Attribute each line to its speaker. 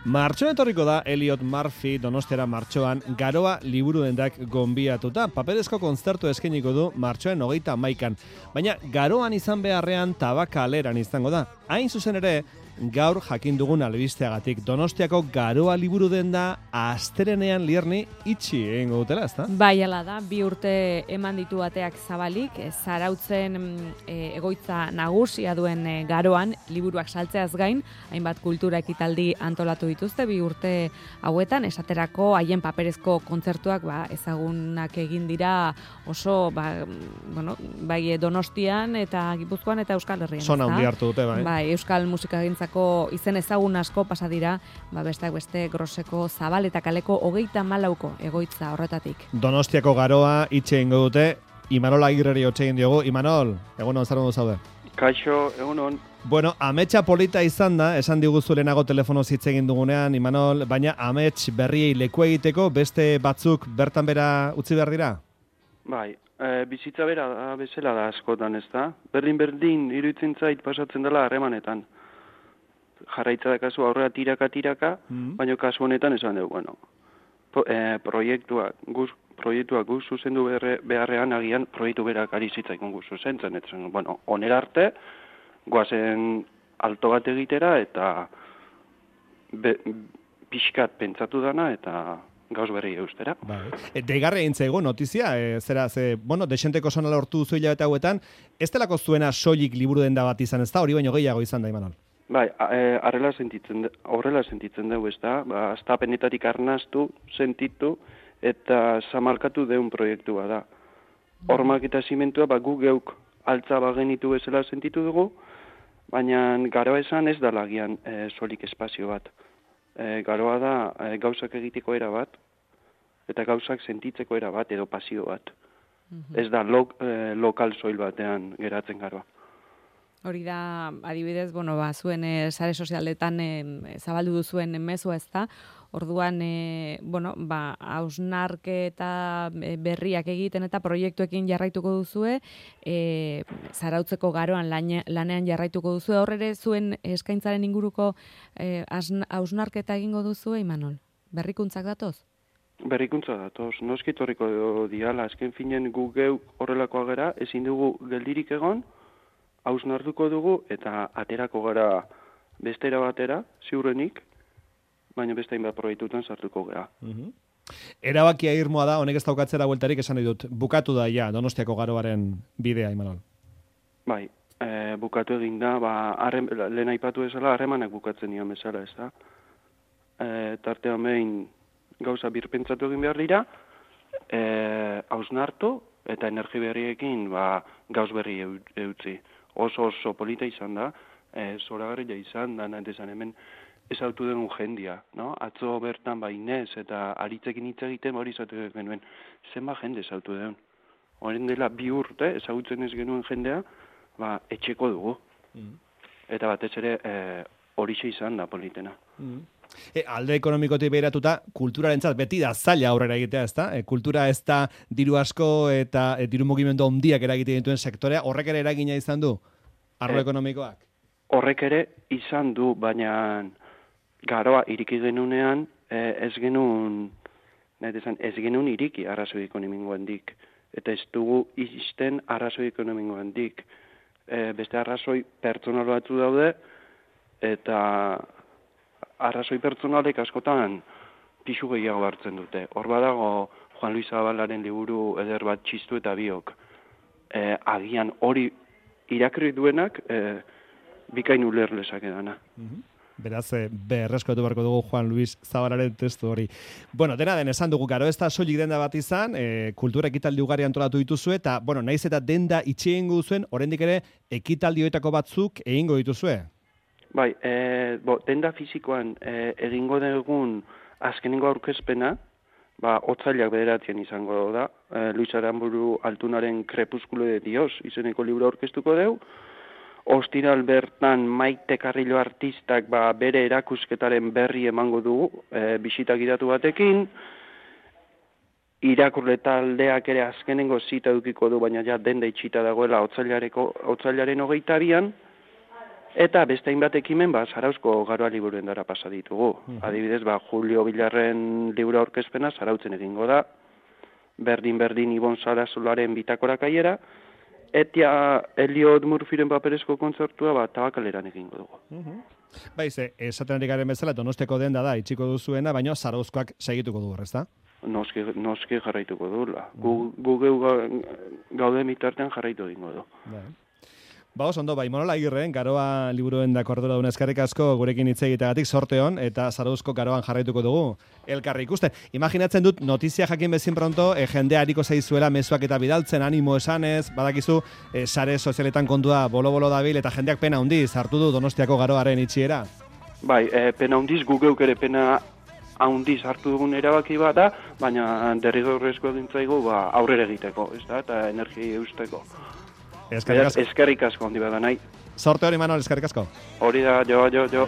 Speaker 1: Martxoan etorriko da Elliot Murphy Donostiara martxoan Garoa liburu dendak gonbiatuta. Paperezko kontzertu eskainiko du martxoan 31an. Baina Garoan izan beharrean Tabakaleran izango da. Hain zuzen ere, gaur jakin dugun albisteagatik Donostiako Garoa liburu denda astelehenean Lierni itxi egingo dutela, ezta?
Speaker 2: Bai, hala da, 2 urte eman ditu ateak zabalik, Zarautzen egoitza nagusia duen Garoan liburuak saltzeaz gain, hainbat kultura ekitaldi antolatu dituzte 2 urte hauetan, esaterako haien paperezko kontzertuak ezagunak egin dira oso bai Donostian eta Gipuzkoan eta Euskal Herrian.
Speaker 1: Zona handi hartu dute, bai.
Speaker 2: Bai, Euskal musikagintzako izen ezagun asko pasa dira, besteak beste Groseko Zabal eta Kaleko 34ko egoitza horretatik.
Speaker 1: Donostiako Garoa itxe egingo dute, Imanol Agirreri hotz egin diogu. Imanol, egun on, zer ondo zaude?
Speaker 3: Kaixo, egun on.
Speaker 1: Bueno, ametsa polita izan da, esan diguzu lehenago telefonoz hitz egin dugunean, Imanol, baina amets berriei leku egiteko beste batzuk bertan bera utzi behar dira?
Speaker 3: Bai, bizitza bera bezala da askotan, ez da? Berdin iruditzen zait pasatzen dela harremanetan. Jarraitza da kasu aurrera tiraka, baina kasu honetan esan dugu, proiektuak guz zuzendu beharrean agian proiektu berak ari zitzaikun guz zuzentzen. Onera arte, goazen alto bat egitera eta pixkat pentsatu dana eta gauz berri eustera.
Speaker 1: Deigarri egin zaigu notizia, desenteko sonala hortu duzu hilabete hauetan, ez delako zuena soilik liburu denda bat izan, ez da, hori baino gehiago izan da, Imanol?
Speaker 3: Bai, horrela sentitzen dugu, ez da, astapenetatik arnastu, sentitu, eta zamarkatu deun proiektua da. Hormak eta zimentua, gu geuk altza bagenitu bezala sentitu dugu, baina Garoa esan ez da lagian solik espazio bat. Garoa da gauzak egiteko era bat, eta gauzak sentitzeko era bat, edo pasio bat. Ez da lokal soil batean geratzen Garoa.
Speaker 2: Hori da, adibidez, zuen sare sozialetan zabaldu duzuen mezua ez da, orduan, hausnarketa berriak egiten eta proiektuekin jarraituko duzue, Zarautzeko Garoan lanean jarraituko duzue, horre zuen eskaintzaren inguruko hausnarketa egingo duzue, Imanol? Berrikuntzak datoz?
Speaker 3: Berrikuntza datoz, noskitorriko diala, azken finen gu geu horrelakoa gera, ezin dugu geldirik egon, hausnartuko dugu eta aterako gara bestera batera, ziurrenik, baina beste hainbat proiektutan sartuko gara.
Speaker 1: Erabakia irmoa da, honek ez daukatzera bueltarik esan dut, bukatu da ja Donostiako Garoaren bidea, Imanol?
Speaker 3: Bai, bukatu egin da, lehen aipatu ezala, harremanak bukatzen nion bezala, ez da. Tartean behin gauza birpentsatu egin behar dira, hausnartu eta energi berriekin gauz berri eutzi. Oso polita izan da, zoragarria izan da, nahitezan hemen ezautu denun jendia, no? Atzo bertan Inez eta aritzekin hitz egiten hori izatu genuen, zenba jende ezautu denun. Horren dela 2 urte ezautzen ez genuen jendea, etxeko dugu. Eta batez ere horixe izan da politena.
Speaker 1: Alde ekonomikotik behiratuta, kulturarentzat beti da zaila aurrera egitea, ez da? Kultura ez da diru asko eta diru mugimendu handiak eragite dituen sektorea, horrek ere eragina izan du, arlo ekonomikoak?
Speaker 3: Horrek ere izan du, baina Garoa iriki genunean ez genuen iriki arrazoi ekonomikoendik, eta ez dugu izten arrazoi ekonomikoendik. Beste arrazoi pertsonal batzu daude, eta arrazoi pertsonalek askotan pixu gehiago hartzen dute. Hor badago Juan Luis Zabalaren liburu eder bat txistu eta biok. Agian hori irakurri duenak bikain uler lezake dana.
Speaker 1: Beraz, berreskatu beharko dugu Juan Luis Zabalaren testu hori. Dena den esan dugu, Garo ez da soilik denda bat izan, kultura ekitaldi ugari antolatu dituzue, eta, naiz eta denda itxe egingo duzuen, oraindik ere ekitaldi hoetako batzuk egingo dituzue.
Speaker 3: Bai, denda fizikoan egingo dugun azkenengo aurkezpena, otsailak 9 izango da, Luis Aramburu Altunaren Krepuskulo de Dios izeneko liburu aurkeztuko dugu. Ostiral bertan Maite Carrillo artistak bere erakusketaren berri emango dugu, bisita gidatu batekin. Irakurle taldeak ere azkenengo zita edukiko du, baina ja denda itxita dagoela otsailaren 22an. Eta beste hainbat ekimen, Zarauzko Garoa liburuendara pasa ditugu. Adibidez, Julio Bilarren liburu aurkezpena Zarautzen egingo da, berdin Ibon Sarazularen bitakora kaiera, eta Elliot Murphyren paperezko kontzertua Tabakaleran egingo dugu.
Speaker 1: Baize, esaten ari garen bezala, Donostiako denda da, itxiko duzuena, baina Zarauzkoak segituko du horrez, da?
Speaker 3: Noski jarraituko du. Gu gaude mitartean jarraitu egingo du.
Speaker 1: Oso ondo, Imanol Agirre, Garoa liburuendako arduradun eskerrik asko gurekin hitz egiteagatik sorte on, eta Zarauzko Garoan jarraituko dugu elkarri ikusten. Imaginatzen dut, notizia jakin bezin pronto, jendea hariko zaizuela mezuak eta bidaltzen, animo esanez, badakizu, sare sozialetan kontua bolo-bolo dabil, eta jendeak pena hundiz hartu du Donostiako Garoaren itxiera.
Speaker 3: Bai, pena hundiz, gugeuk ere pena haundiz hartu dugun erabaki da, baina derrigorrezko dintzaigu aurrera egiteko, ez da, eta energia eusteko. Eskerrik asko handi bada nahi.
Speaker 1: Sorte hori, Manol, eskerrik asko.
Speaker 3: Hori da, jo.